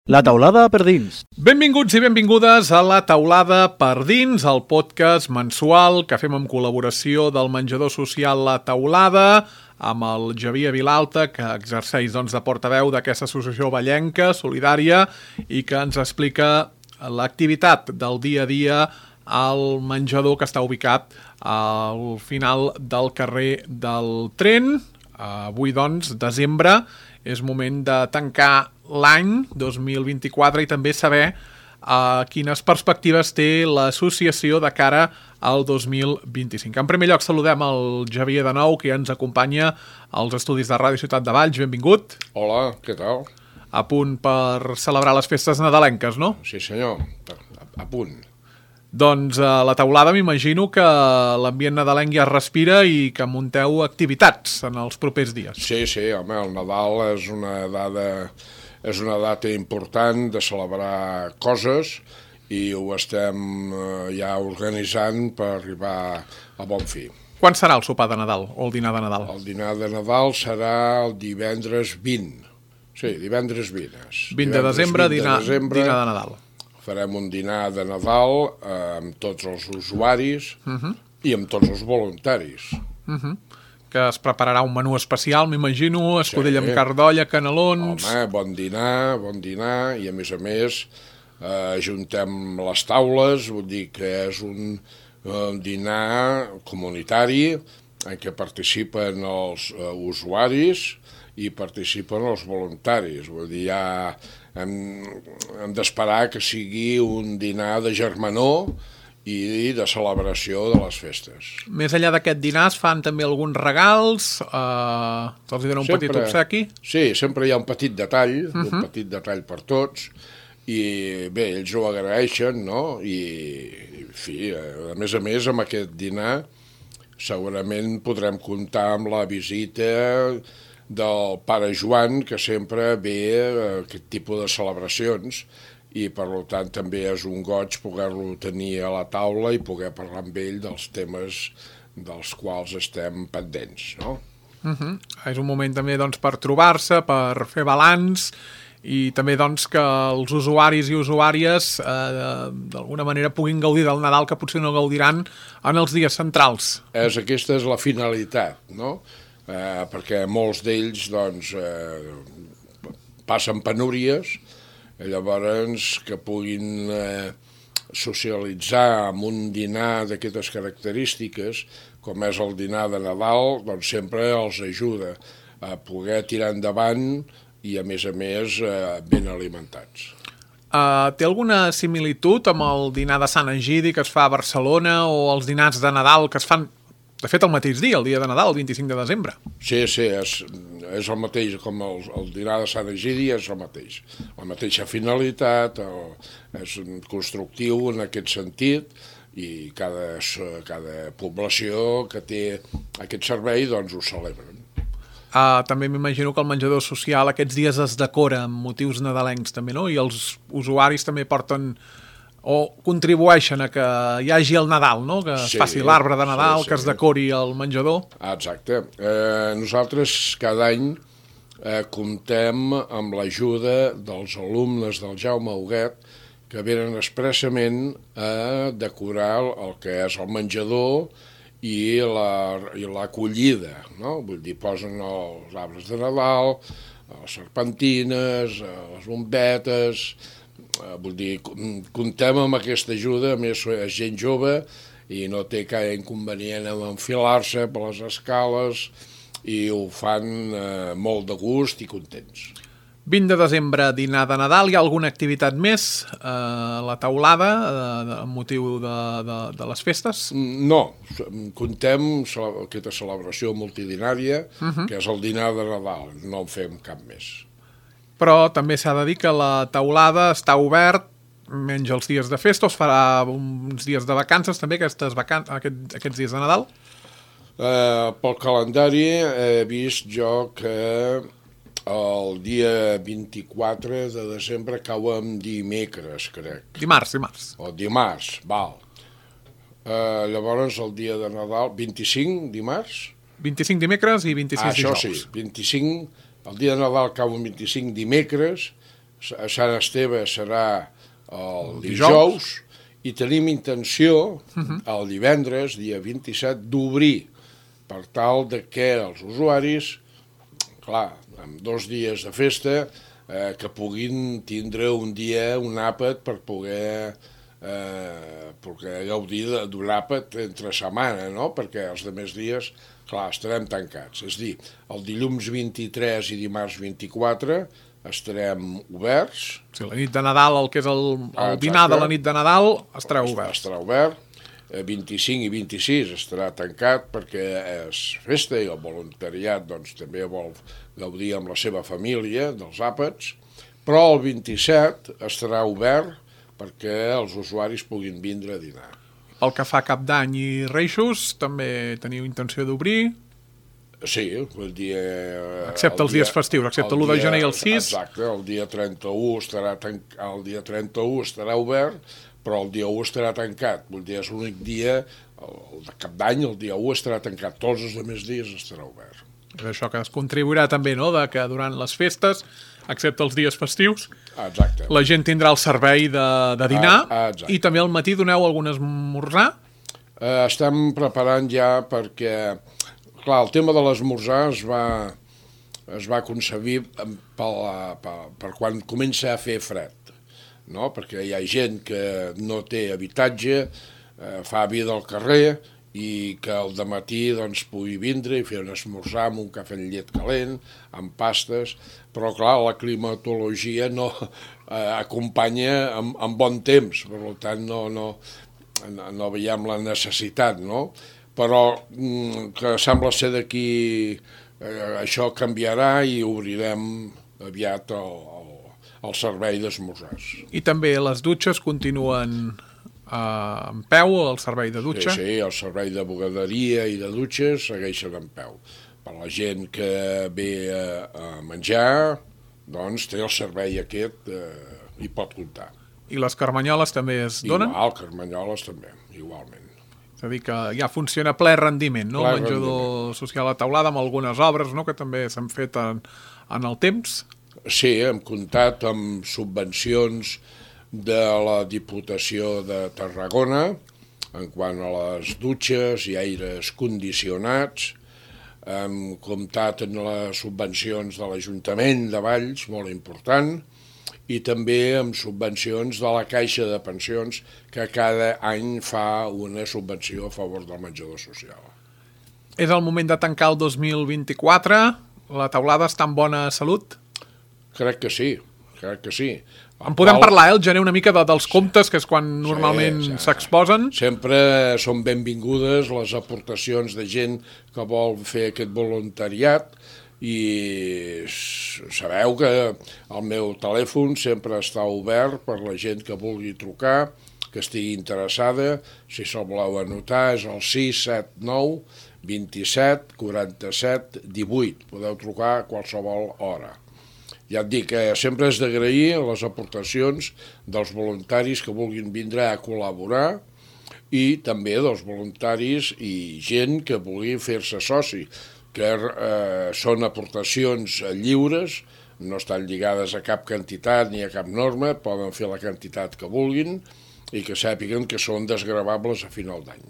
La taulada per dins. Benvinguts i benvingudes a La taulada per dins, el podcast mensual que fem en col·laboració del menjador social La Taulada, amb el Javier Vilalta, que exerceix de portaveu d'aquesta associació vallenca, solidària, i que ens explica l'activitat del dia a dia al menjador que està ubicat al final del carrer del Tren. Avui, desembre, és moment de tancar l'any 2024 i també saber quines perspectives té l'associació de cara al 2025. En primer lloc saludem el Javier de nou, que ja ens acompanya als estudis de Ràdio Ciutat de Valls. Benvingut. Hola, què tal? A punt per celebrar les festes nadalenques, no? Sí senyor, a punt. Doncs a La Taulada m'imagino que l'ambient nadalenc ja es respira i que munteu activitats en els propers dies. Sí, home, el Nadal és una data important de celebrar coses i ho estem ja organitzant per arribar a bon fi. Quan serà el sopar de Nadal o el dinar de Nadal? El dinar de Nadal serà el divendres 20. Sí, divendres 20. 20 de desembre, dinar de Nadal. Farem un dinar de Nadal amb tots els usuaris i amb tots els voluntaris. Que es prepararà un menú especial, m'imagino, escudella amb carn d'olla, canelons... Home, bon dinar, i a més ajuntem les taules, vull dir que és un dinar comunitari en què participen els usuaris i participen els voluntaris. Vull dir, ja hem d'esperar que sigui un dinar de germanor i de celebració de les festes. Més enllà d'aquest dinar es fan també alguns regals, se'ls donen un petit obsequi? Sí, sempre hi ha un petit detall, un petit detall per tots, i bé, ells ho agraeixen, no? I, en fi, a més, amb aquest dinar segurament podrem comptar amb la visita del pare Joan, que sempre ve a aquest tipus de celebracions, i per tant també és un goig poder-lo tenir a la taula i poder parlar amb ell dels temes dels quals estem pendents, no? És un moment també per trobar-se, per fer balanç i també que els usuaris i usuàries d'alguna manera puguin gaudir del Nadal que potser no gaudiran en els dies centrals. Aquesta és la finalitat, no? Perquè molts d'ells passen penúries, llavors que puguin socialitzar amb un dinar d'aquestes característiques, com és el dinar de Nadal, doncs sempre els ajuda a poder tirar endavant i a més ben alimentats. Té alguna similitud amb el dinar de Sant Egidi que es fa a Barcelona o els dinars de Nadal que es fan, de fet, el mateix dia, el dia de Nadal, el 25 de desembre? Sí, és el mateix, com el dinar de Sant Egidi és el mateix. La mateixa finalitat, és constructiu en aquest sentit, i cada població que té aquest servei doncs ho celebren. També m'imagino que el menjador social aquests dies es decora amb motius nadalencs també, no? I els usuaris també porten o contribueixen a que hi hagi el Nadal, no? Que es faci l'arbre de Nadal, que es decori el menjador. Exacte. Nosaltres cada any comptem amb l'ajuda dels alumnes del Jaume Huguet que venen expressament a decorar el que és el menjador i l'acollida, no? Vull dir, posen els arbres de Nadal, les serpentines, les bombetes. Vull dir, comptem amb aquesta ajuda, a més és gent jove i no té cap inconvenient en enfilar-se per les escales i ho fan molt de gust i contents. 20 de desembre, dinar de Nadal. Hi ha alguna activitat més a la taulada amb motiu de les festes? No, comptem aquesta celebració multidinària, que és el dinar de Nadal, no en fem cap més. Però també s'ha de dir que la taulada està obert menys els dies de festa, o es farà uns dies de vacances també, aquests dies de Nadal? Pel calendari he vist jo que el dia 24 de desembre cau en dimecres, crec. Dimarts. O dimarts, val. Llavors el dia de Nadal, 25 dimarts? 25 dimecres i 26 dijous. Això sí, 25, el dia de Nadal cau en 25 dimecres a Sant Esteve serà el dijous, i tenim intenció el divendres, dia 27, d'obrir per tal de que els usuaris, clar, amb 2 dies de festa, que puguin tindre un dia, un àpat per poder gaudir d'un àpat entre setmana, no? Perquè els altres dies, clar, estarem tancats. És a dir, el dilluns 23 i dimarts 24 estarem oberts. Sí, la nit de Nadal, el que és el dinar de la nit de Nadal, estarà obert. Estarà obert. 25 i 26 estarà tancat perquè és festa i el voluntariat doncs, també vol gaudir amb la seva família dels àpats, però el 27 estarà obert perquè els usuaris puguin vindre a dinar. Pel que fa a Cap d'Any i Reixos, també teniu intenció d'obrir? Sí, el dia... Excepte els dies festius, excepte l'1 de gener i el 6. Exacte, el dia 31 estarà obert, però el dia 1 estarà tancat. Vull dir, és l'únic dia, el de Cap d'Any, el dia 1 estarà tancat. Tots els altres dies estarà obert. És això que es contribuirà també, no?, de que durant les festes, excepte els dies festius, exacte, la gent tindrà el servei de dinar i també al matí doneu algun esmorzar? Estem preparant ja perquè... Clar, el tema de l'esmorzar es va concebir per quan comença a fer fred, no? Perquè hi ha gent que no té habitatge, fa vida al carrer i que al dematí doncs, pugui vindre i fer un esmorzar amb un cafè amb llet calent, amb pastes, però clar, la climatologia no acompanya amb bon temps, per tant no veiem la necessitat, no? Però que sembla ser d'aquí això canviarà i obrirem aviat el servei d'esmorzars. I també les dutxes continuen en peu, el servei de dutxa? Sí, el servei de bugaderia i de dutxes segueixen en peu. Per la gent que ve a menjar, doncs té el servei aquest i pot comptar. I les carmanyoles també es donen? Igual, carmanyoles també, igualment. És a dir, que ja funciona ple rendiment, no? El menjador social a taulada, amb algunes obres, no?, que també s'han fet en el temps. Sí, hem comptat amb subvencions de la Diputació de Tarragona en quant a les dutxes i aires condicionats. Hem comptat amb les subvencions de l'Ajuntament de Valls, molt important, i també amb subvencions de la Caixa de Pensions, que cada any fa una subvenció a favor del menjador social. És el moment de tancar el 2024? La taulada està en bona salut? Crec que sí, crec que sí. En podem parlar, el gener, una mica dels comptes, que és quan normalment s'exposen? Sempre són benvingudes les aportacions de gent que vol fer aquest voluntariat, i sabeu que el meu telèfon sempre està obert per la gent que vulgui trucar, que estigui interessada. Si se'l voleu anotar és el 679 27 47 18. Podeu trucar a qualsevol hora. Ja et dic que sempre és d'agrair les aportacions dels voluntaris que vulguin vindre a col·laborar i també dels voluntaris i gent que vulgui fer-se soci, que són aportacions lliures, no estan lligades a cap quantitat ni a cap norma, poden fer la quantitat que vulguin i que sàpiguen que són desgravables a final d'any.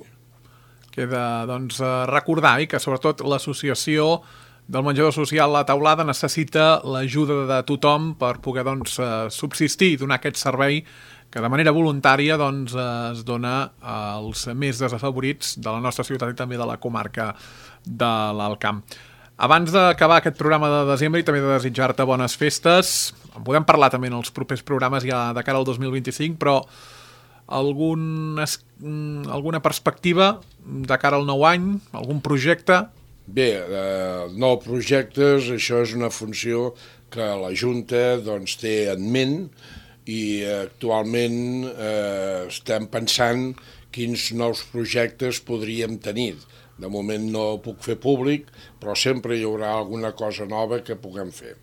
Queda, doncs, recordar que sobretot l'associació del menjador social La Taulada necessita l'ajuda de tothom per poder subsistir i donar aquest servei que de manera voluntària es dona als més desafavorits de la nostra ciutat i també de la comarca de l'Alt Camp. Abans d'acabar aquest programa de desembre i també de desitjar-te bones festes, en podem parlar també en els propers programes ja de cara al 2025, però alguna perspectiva de cara al nou any, algun projecte? Bé, nous projectes, això és una funció que la Junta té en ment i actualment estem pensant quins nous projectes podríem tenir. De moment no ho puc fer públic, però sempre hi haurà alguna cosa nova que puguem fer.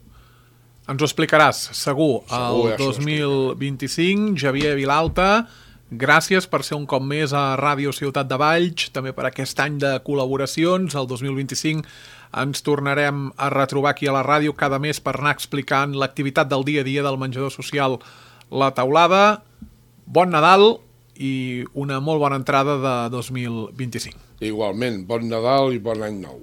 Ens ho explicaràs, segur. El 2025, Xavier Vilalta, gràcies per ser un cop més a Ràdio Ciutat de Valls, també per aquest any de col·laboracions. El 2025 ens tornarem a retrobar aquí a la ràdio cada mes per anar explicant l'activitat del dia a dia del menjador social La Teulada. Bon Nadal i una molt bona entrada de 2025. Igualment, bon Nadal i bon any nou.